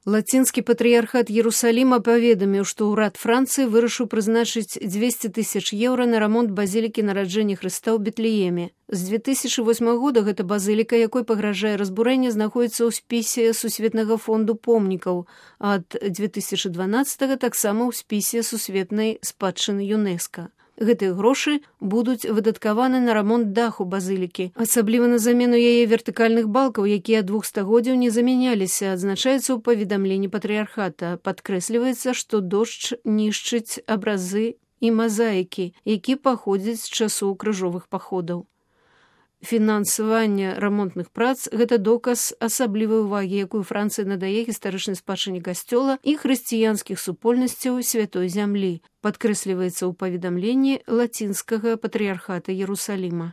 Лацінскі патрыярхат Єрусаліма паведаміў, што ўрад Францыі вырашыў прызначыць 200 000 еўра на рамонт базілікі нараджэння Хрыста ў Бетлееме. З 2008 года гэта базыліка, якой пагражае разбурэнне, знаходзіцца ў спісе Сусветнага фонду помнікаў, а ад 2012 таксама ў спісе сусветнай спадчыны ЮНЕСКА. Гэтыя грошы будуць выдаткаваны на рамонт даху базылікі, асабліва на замену яе вертыкальных балкаў, якія 2 стагоддзяў не замяняліся, адзначаецца ў паведамленні патрыярхата. Падкрэсліваецца, што дождж нішчыць абразы і мазаікі, які паходзяць з часоў крыжовых паходаў. Фінансаванне рамонтных прац – гэта доказ асаблівай увагі, якую Францыя надае гістарычнай спадчыне касцёла і хрысціянскіх супольнасцяў святой зямлі, падкрэсліваецца ў паведамленні лацінскага патрыярхата Єрусаліма.